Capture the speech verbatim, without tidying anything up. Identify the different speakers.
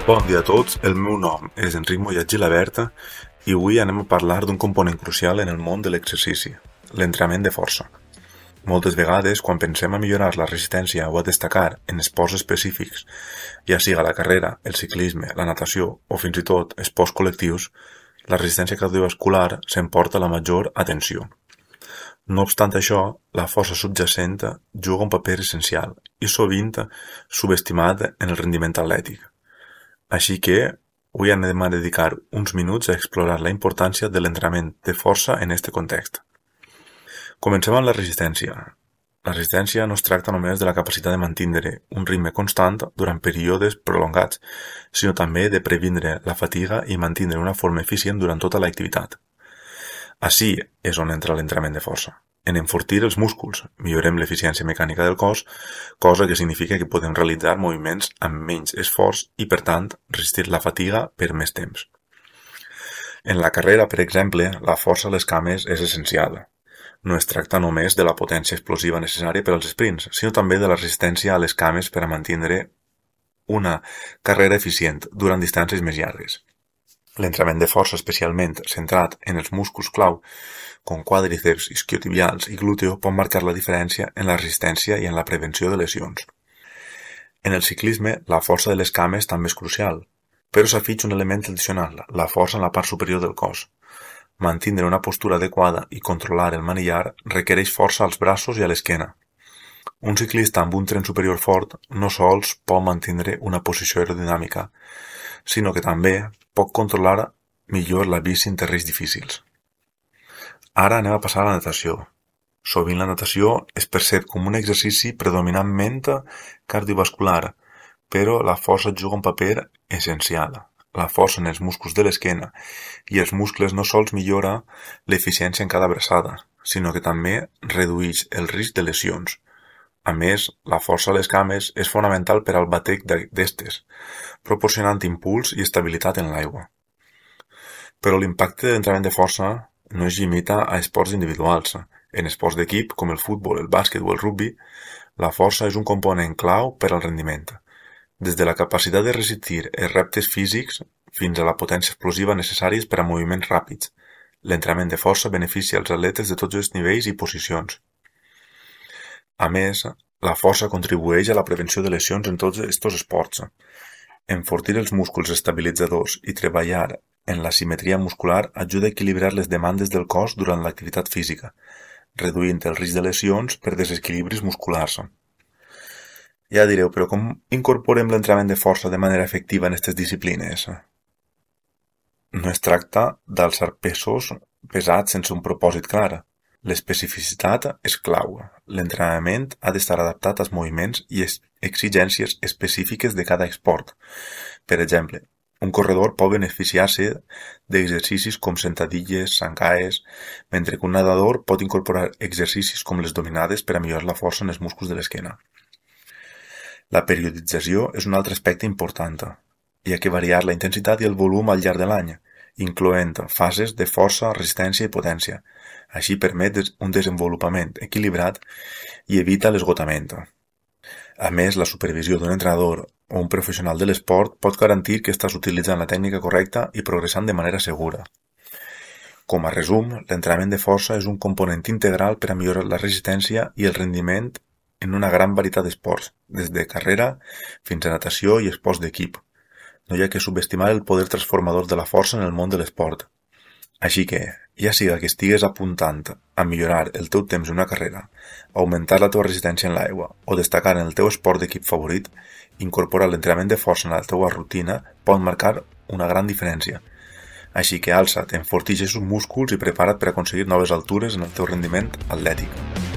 Speaker 1: Bon dia a tots, el meu nom és Enric Mollet Gilabert i avui anem a parlar d'un component crucial en el món de l'exercici, l'entrenament de força. Moltes vegades, quan pensem a millorar la resistència o a destacar en esports específics, ja siga la carrera, el ciclisme, la natació o fins i tot esports col·lectius, la resistència cardiovascular s'emporta la major atenció. No obstant això, la força subjacent juga un paper essencial i sovint subestimat en el rendiment atlètic. Així que avui anem a dedicar uns minuts a explorar la importància de l'entrenament de força en aquest context. Comencem amb la resistència. La resistència no es tracta només de la capacitat de mantenir un ritme constant durant períodes prolongats, sinó també de previndre la fatiga i mantenir una forma eficient durant tota l'activitat. Així és on entra l'entrenament de força. En enfortir els músculs, millorem l'eficiència mecànica del cos, cosa que significa que podem realitzar moviments amb menys esforç i, per tant, resistir la fatiga per més temps. En la carrera, per exemple, la força a les cames és essencial. No es tracta només de la potència explosiva necessària per als sprints, sinó també de la resistència a les cames per a mantenir una carrera eficient durant distàncies més llargues. L'entrenament de força especialment centrat en els músculs clau, com quàdriceps, isquiotibials i glúteo, pot marcar la diferència en la resistència i en la prevenció de lesions. En el ciclisme, la força de les cames també és crucial, però s'afegeix un element addicional, la força en la part superior del cos. Mantenir una postura adequada i controlar el manillar requereix força als braços i a l'esquena. Un ciclista amb un tren superior fort no sols pot mantenir una posició aerodinàmica, sinó que també pot controlar millor la bici en terrenys difícils. Ara anem a passar a la natació. Sovint la natació es percep com un exercici predominantment cardiovascular, però la força juga un paper essencial. La força en els músculs de l'esquena i els muscles no sols millora l'eficiència en cada abraçada, sinó que també redueix el risc de lesions. A més, la força a les cames és fonamental per al batec d'estes, proporcionant impuls i estabilitat en l'aigua. Però l'impacte de l'entrenament de força no es limita a esports individuals. En esports d'equip, com el futbol, el bàsquet o el rugbi, la força és un component clau per al rendiment. Des de la capacitat de resistir els reptes físics fins a la potència explosiva necessàries per a moviments ràpids, l'entrenament de força beneficia els atletes de tots els nivells i posicions. A més, la força contribueix a la prevenció de lesions en tots aquests esports. Enfortir els músculs estabilitzadors i treballar en la simetria muscular ajuda a equilibrar les demandes del cos durant l'activitat física, reduint el risc de lesions per desequilibris musculars. Ja direu, però com incorporem l'entrenament de força de manera efectiva en aquestes disciplines? No es tracta d'alçar pesos pesats sense un propòsit clar. L'especificitat és clau. L'entrenament ha d'estar adaptat als moviments i exigències específiques de cada esport. Per exemple, un corredor pot beneficiar-se d'exercicis com sentadilles, zancaes, mentre que un nedador pot incorporar exercicis com les dominades per a millorar la força en els músculs de l'esquena. La periodització és un altre aspecte important. Hi ha que variar la intensitat i el volum al llarg de l'any, incloent fases de força, resistència i potència. Així permet un desenvolupament equilibrat i evita l'esgotament. A més, la supervisió d'un entrenador o un professional de l'esport pot garantir que estàs utilitzant la tècnica correcta i progressant de manera segura. Com a resum, l'entrenament de força és un component integral per a millorar la resistència i el rendiment en una gran varietat d'esports, des de carrera fins a natació i esports d'equip. No hi ha que subestimar el poder transformador de la força en el món de l'esport. Així que, ja siga que estigues apuntant a millorar el teu temps en una carrera, augmentar la teva resistència en l'aigua o destacar en el teu esport d'equip favorit, incorporar l'entrenament de força en la teva rutina pot marcar una gran diferència. Així que alça't, enforteix els músculs i prepara't per aconseguir noves altures en el teu rendiment atlètic.